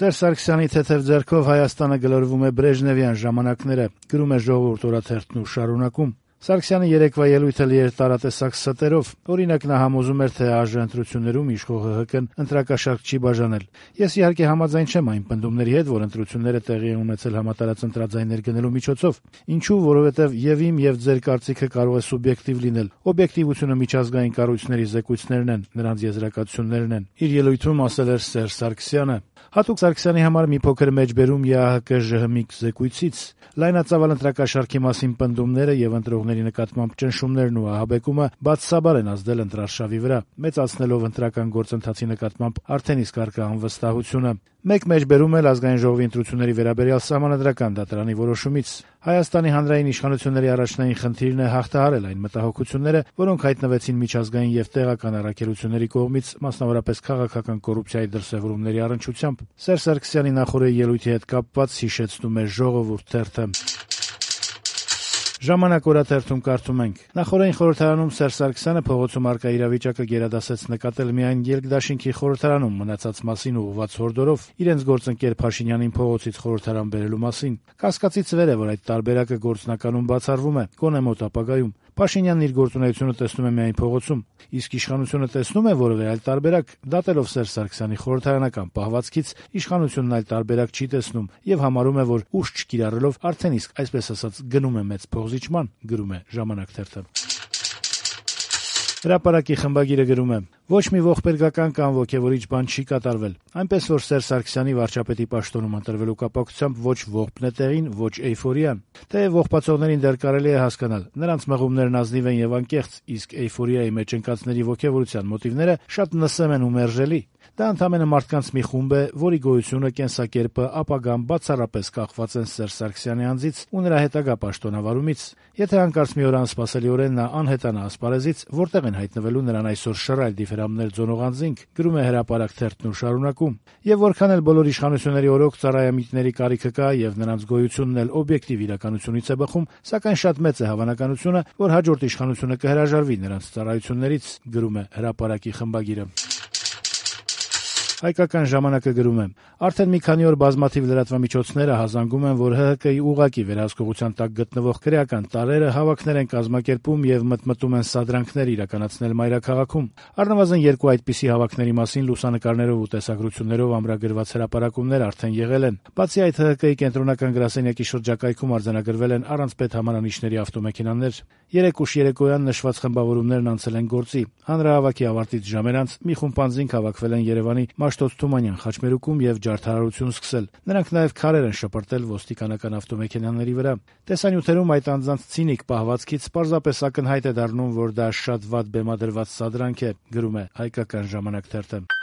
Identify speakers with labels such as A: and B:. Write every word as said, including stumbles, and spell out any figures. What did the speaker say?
A: Սերժ Սարգսյանի թեթև ձեռքով Հայաստանը գլորվում է բրեժնևյան ժամանակները, գրում է «Ժողովուրդ» օրաթերթն ու շարունակում. Սարգսյանի երեկվա ելույթը լի էր տարատեսակ ստերով. օրինակ նա համոզում էր, թե ԱԺ ընտրություններում իշխող ՀՀԿ-ն ընտրակաշառք չի բաժանել։ Ես իհարկե համաձայն չեմ այն պնդումների հետ, որ ընտրությունները տեղի են ունեցել համատարած ընտրաձայներ գնելու միջոցով։ Ինչու՞, որովհետև եւ իմ եւ ձեր կարծիքը կարող է սուբյեկտիվ լինել։ Օբյեկտիվությունը միջազգային կառույցների զեկույցներն են, նրանց եզրակացություններն են։ Իր ելույթում ասել էր Սերժ Սարգսյանը։ Հատուկ Սարգսյանի համար մի փոքր մեջբերում ԵԱՀԿ-ԺՀՄԻԿ զեկույցից։ Լայնածավալ ընտրակաշառքի մասին պնդումները եւ ընտրողների նկատմամբ ճնշումներն ու ահաբեկումը բացասաբար են ազդել ընտրարշավի վրա, մեծացնելով ընտրական գործընթացի նկատմամբ արդեն իսկ առկա անվստահությունը։ Մեկ մեջբերում էլ Ազգային ժողովի ընտրությունների վերաբերյալ Սահմանադրական դատարանի որոշումից։ Հայաստանի հանրային իշխանությունների առաջնային խնդիրն է հաղթահարել այն մտահոգությունները, որոնք հայտնվեցին միջազգային եւ տեղական առաքելությունների կողմից, մասնավորապես քաղաքական կոռուպցիայի դրսեւորումների առնչությամբ։ Սերժ Սարգսյանի նախօրեի ելույթի հետ կապված հիշեցնում է «Ժողովուրդ» թերթը։ «Ժամանակ» օրաթերթում կարդում ենք. նախօրեին խորհրդարանում Սերժ Սարգսյանը փողոցում առկա իրավիճակը գերադասեց նկատել միայն Ելքդաշինքի խորհրդարանում մնացած մասին ուղղված հորդորով իրենց գործընկեր Փաշինյանին փողոցից խորհրդարան բերելու մասին։ Կասկածից վեր է, որ այդ տարբերակը գործնականում բացառվում է, գոնե մոտ ապագայում։ Փաշինյանն իր գործունեությունը տեսնում է միայն փողոցում, իսկ իշխանությունը տեսնում է որևէ այլ տարբերակ։ Դատելով Սերժ Սարգսյանի խորհրդարանական պահվածքից իշխանությունն այլ տարբերակ չի տեսնում եւ համարում է, որ ուժ չկիրառելով արդեն իսկ այսպես ասած գնում է մեծ փոխզիջման, գրում է «Ժամանակ» թերթը։ Հրապարակի խմբագիրը գրում է. ոչ մի ողբերգական կամ ոգևորիչ բան չի կատարվել։ Այնպես որ Սերժ Սարգսյանի վարչապետի պաշտոնում ընտրվելու կապակցությամբ ոչ ողբն է տեղին, ոչ էյֆորիան։ Թեև ողբացողներին դեռ կարելի է հասկանալ, նրանց մղումներն ազնիվ են եւ անկեղծ, իսկ էյֆորիայի մեջ ընկածների ոգևորության մոտիվները շատ նսեմ են ու մերժելի։ Դա ընդամենը մարդկանց մի խումբ է, որի գոյությունը, կենսակերպը, ապագան բացառապես կախված են Սերժ Սարգսյանի անձից ու նրա հետագա պաշտոնավարումից։ Եթե հանկարծ մի օր անսպասելիորեն նա անհետանա ասպարեզից, որտեղ են հայտնվելու նրան այսօր շռայլ դիֆերամներ ձոնող անձինք, գրում է «Հրապարակ» թերթն ու շարունակում։ Եվ որքան էլ բոլոր իշխանությունների օրոք ծառայամիտների կարիքը կա եւ նրանց գոյությունն էլ օբյեկտիվ իրականությունից է բխում, սակայն շատ մեծ է հավանականությունը, որ հաջորդ իշխանությունը կհրաժարվի նրանց ծառայություններից, գրում է «Հրապարակի» խմբագիրը։ Հայկական ժամանակը գրում է. արդեն մի քանի օր բազմաթիվ լրատվամիջոցները հազանգում են, որ ՀՀԿ-ի ուղղակի վերահսկողության տակ գտնվող քրեական տարրերը հավաքներ են կազմակերպում եւ մտմտում են սադրանքներ իրականացնել մայրաքաղաքում։ Առնվազն երկու այդպիսի հավաքների մասին լուսանկարներով ու տեսագրություններով ամրագրված հրապարակումներ արդեն եղել են։ Բացի այդ, ՀՀԿ-ի կենտրոնական գրասենյակի շրջակայքում արձանագրվել են առանց պետհամանանիշների ավտոմեքենաներ։ Երեք ուշ երեկոյան նշված խմբավորումներն անցել են գործի։ Հանրահավաքի ավարտից ժամեր անց մի խումբ անձինք հավաքվել են Երևանի Մաշտոց-Թումանյան խաչմերուկում եւ ջարդարարություն սկսել։ Նրանք նաեւ քարեր են շպրտել ոստիկանական ավտոմեքենաների վրա։ Տեսանյութերում այդ անձանց ցինիկ պահվածքից պարզապես ակնհայտ է դառնում, որ դա շատ վատ բեմադրված սադրանք է, գրում է «Հայկական ժամանակ» թերթը։